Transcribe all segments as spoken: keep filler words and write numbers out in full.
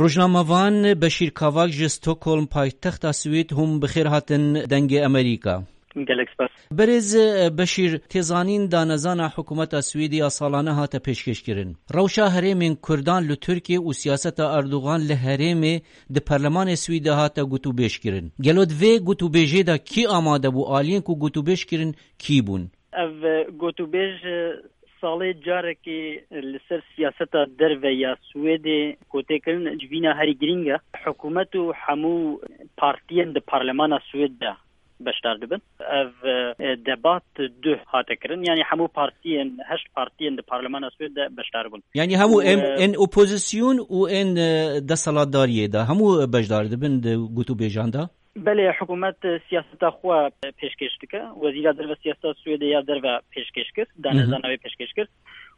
Rojnamevan Beşîr Kavak ji Stockholm, paytexta Swêd, hûn bi xêr hatin Dengê Amerîka. Gelek spas. Berêz, e, Beşîr, tê zanîn danezana hikûmeta Swêdê ya salane hate pêşkêşkirin. Rewşa herêmên Kurdan li Tirkiyê û siyaseta Erdogan li herêmê di Perlemanê Swêdê hate gotûbêjkirin. Gelo di vê gotûbêjê de kî amade bû, aliyên ku gotûbêj kirin kî bûn? Ev, e, gotûbêj, e, salê carekê li ser siyaseta derve ya Swêdê ku tê kirin, civîna herî girîng e. Hikûmet û hemû partiyên di parlemana Swêd de beşdar dibin. Ev, e, debat duh hate kirin. Yanî hemû partiyên, heşt partiyên di parlemana Swêd de beşdar bûn. Yanî hemû Û, em, e, ên opozîsyon û ên, e, desthilatdariyê de hemû beşdar dibin di gotûbêjan de? Belê, hikûmet, e, siyaseta xwe, e, pêşkêş dike. Wezîra derve siyaseta Swêdê ya derve pêşkêş kir, Hı hı. danezana wê pêşkêş kir.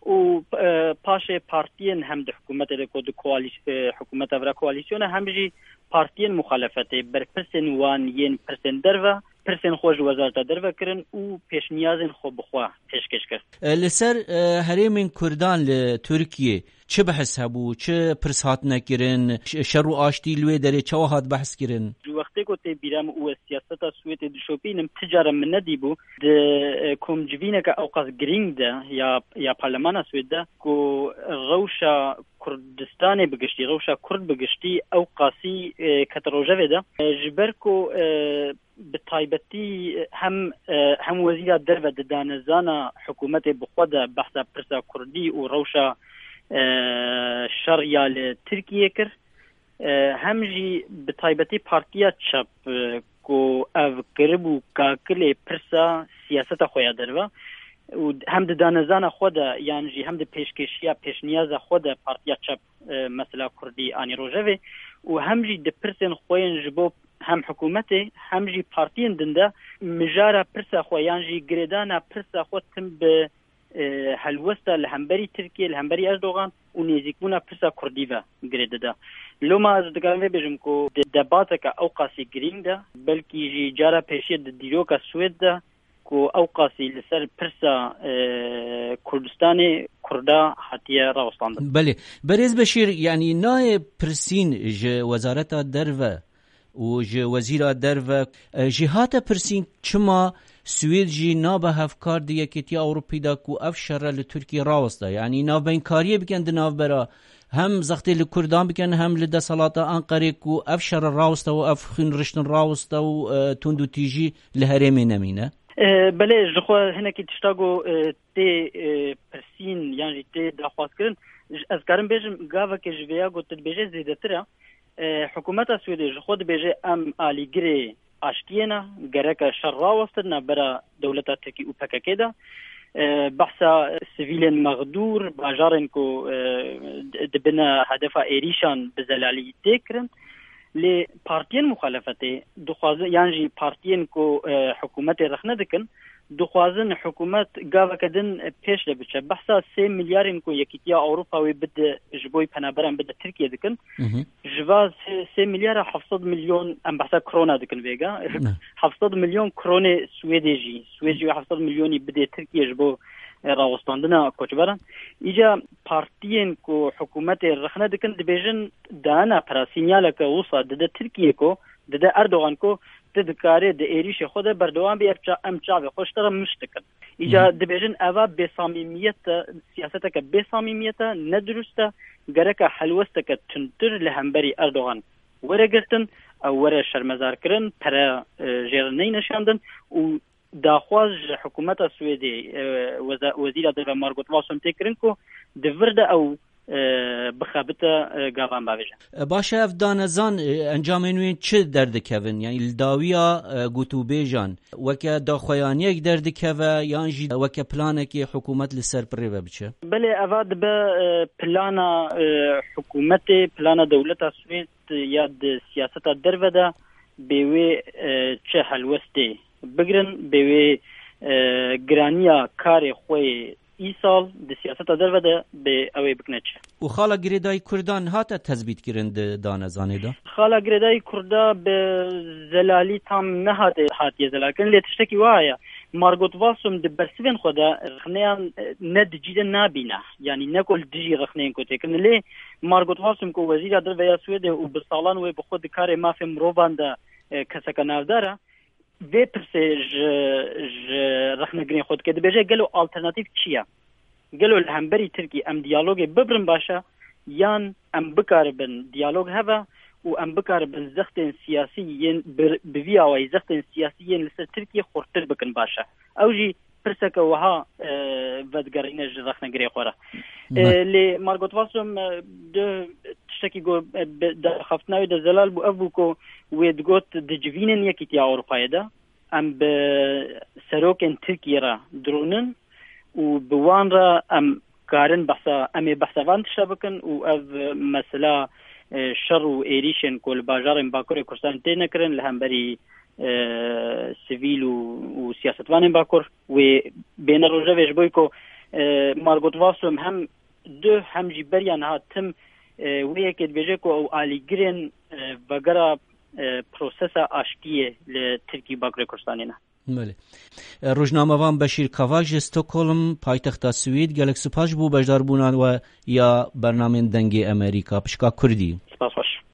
Û, e, paşê partiyên hem di hikûmetê de ku di koalîs-, e, hikûmeta vira koalîsyona, hem jî partiyên muxalefetê, berpirsên wan yên pirsên derve, pirsên xwe ji wezareta derve kirin û pêşniyazên xwe bi xwe pêşkêş kir. E, li ser, e, herêmên Kurdan li Tirkiyê çi behs hebû, çi pirs hatine kirin, ş-, şer û aştî li wê derê çawa hat behs kirin? Ji wextê ku tê bîra min û ez siyaseta Swêdê dişopînim, ti cara min nedîbû di, e, komcivîneke ewqas girîng de ya, ya parlemana Swêd de ku rewşa Kurdistanê bi giştî, rewşa Kurd bi giştî ew qasî, e, kete rojevê de. E, ji ber ku, e, bi taybetî hem, e, hem wezîra derve di danezana hikûmetê bi xwe de behsa pirsa Kurdî û rewşa, e, şer ya li Tirkiyê kir, e, hem jî bi taybetî Partiya Çep, e, ku ev kiribû kakilê pirsa siyaseta xwe ya derve û hem di danezana xwe de yan jî hem di pêşkêşiya pêşniyaza xwe de Partiya Çep, e, mesela Kurdî anî rojevê û hem jî di pirsên xwe yên ji bo hem hikûmetê hem jî partiyên din de mijara pirsa xwe yan jî girêdana pirsa xwe tim bi, e, helwesta li hemberî Tirkiye, li hemberî Erdogan û nêzîkbûna pirsa Kurdî ve girê dide. Loma ez dikarim vê bêjim ku di debateke ew qasî girîng de, belkî jî cara pêşiye di dîroka Swêd de ku ew qasî li ser pirsa, e, Kurdistanê Kurda hatiye rawestandin. Belê. Berêz Beşîr, yanî nayê pirsîn ji Wezareta Derve û ji Wezîra Derve, e, jî hate pirsîn çima Swêd jî nabe hevkar di Yekîtiya Ewropî de ku ev şere li Tirkiye raweste. Yanî navbeynkariyê bikin di navbera hem zextê li Kurdan bikin hem li desthilata Enqerê ku ev şere raweste û ev xwîn riştin raweste û, e, tundûtîjî li herêmê nemîne. E, belê, ji xwe hinekî tişta ku, e, tê, e, pirsîn yan jî tê daxwazkirin, j-, ez karim bêjim, gaveke ji vêya ku tu dibêje zêdetir e. E, hikûmeta Swêdê ji xwe dibêje, em alîgirê aştiyê ne, gereke şer rawestin navbera dewleta Tirkî û P K K de. E, behsa sivîlên mexdûr, bajarên ku, e, di-, dibine hedefa êrîşan bi zelalî tê kirin. Lê partiyên muxalefetê dixwazin, yan jî partiyên ku, e, hikûmetê rexne dikin, dixwazin hikûmet gaveke din pêş de biçe. Behsa sê milyarên ku Yekîtiya Ewropa wê bide ji bo penaberan bide Tirkiye dikin. Hı hı. Ji va sê, sê milyara heft sed milyon, em behsa krona dikin vêga. Ne. Heft sed milyon kronê Swêdê jî. Swêd jî wê heft sed milyonî bidê Tirkiye ji bo, e, rawestandina koçberan. Îca partiyên ku hikûmetê rexne dikin dibêjin, dana pira sînyaleke wisa dide Tirkiye ku, dide Erdogan ku tu dikarê di êrîşê xwe de berdewam bî, ev ça-, em çavê xwe ji te re miş dikin. Îca Hı. dibêjin eva bêsamîmiyet e, siyaseteke bêsamîmiyet e, nedurust e, gereke helwesteke tundtir li hemberî Erdogan were girtin, ew were şermezarkirin, pere, e, jê re neyne şandin û daxwaz ji hikûmeta Swêdê, e, weza-, wezîra derve Margot Wallström tê kirin ku di vir de ew, e, bixebite, e, gavan bavêje. E, baş e, ev danezan, e, encamên wê çi derdikevin? Yanî li dawiya, e, gotûbêjan weke daxuyaniyek derdikeve yan jî weke planekê hikûmet li ser pirê ve biçe? Belê, eva dibe, e, plana, e, hikûmetê, plana dewleta Swêd ya di siyaseta derve de bê wê, e, çi helwestê bigirin, bê wê, e, giraniya karê xwe yê îsal di siyaseta derve de bê ew ê bikine çi. Û xala girêdayî Kurdan hate tezbîtkirin di danezanê de? Xala girêdayî Kurda bi zelalî tam nehate hatiye zelalkirin, lê tiştekî wa heye. Margot Wallström di bersivên xwe de rexneyan, e, ne di cî de nabîne. Yanî ne ku li dijî rexneyên ku têkirin. Lê Margot Wallström ku wezîra derve ya Swêdê û bi salan wê bi xwe di karê mafê mirovan de, e, keseke navdar e. Vê pirsê ji, ji rexnegirên xwe dike. Dibêje gelo alternatîf çi ye? Gelo li hemberî Tirkî em diyalogê bibirin baş e, yan em bikaribin diyalog heve û em bikaribin zextên siyasî yên bi, bi vî awayî zextên siyasî yên li ser Tirkiyê xurtir bikin baş e? Ew jî pirseke wiha, e, vedigerîne ji rexnegirê xwe re. E, Me- lê Margot Wallström, e, di tiştekî ku, e, bi, di axaftina wê de zelal bû, ev bû ku wê digot di civînên Yekîtiya Ewropayê de em bi serokên Tirkiyê re dirûnin û bi wan re em karin behsa, em ê behsa van tişta bikin û ev mesela, e, şer û êrîşên ku li bajarên Bakurê Kurdistanê têne kirin li hemberî, e, sivîl û, û siyasetvanên Bakur wê bêne rojevê, ji bo ku, e, Margot Wallström hem duh hem jî beriya niha tim, e, wê yekê dibêje ku ew alîgirên, e, vegera, e, prosesa aştiyê li Tirkî û Bakurê Kurdistanê ne. Belê. E, rojnamevan Beşîr Kavak ji Stockholm, paytexta Swîd, gelek spas ji bo beşdarbûna we ya bernamên Dengê Amerîka. Pişka Kurdî. Spas xweş.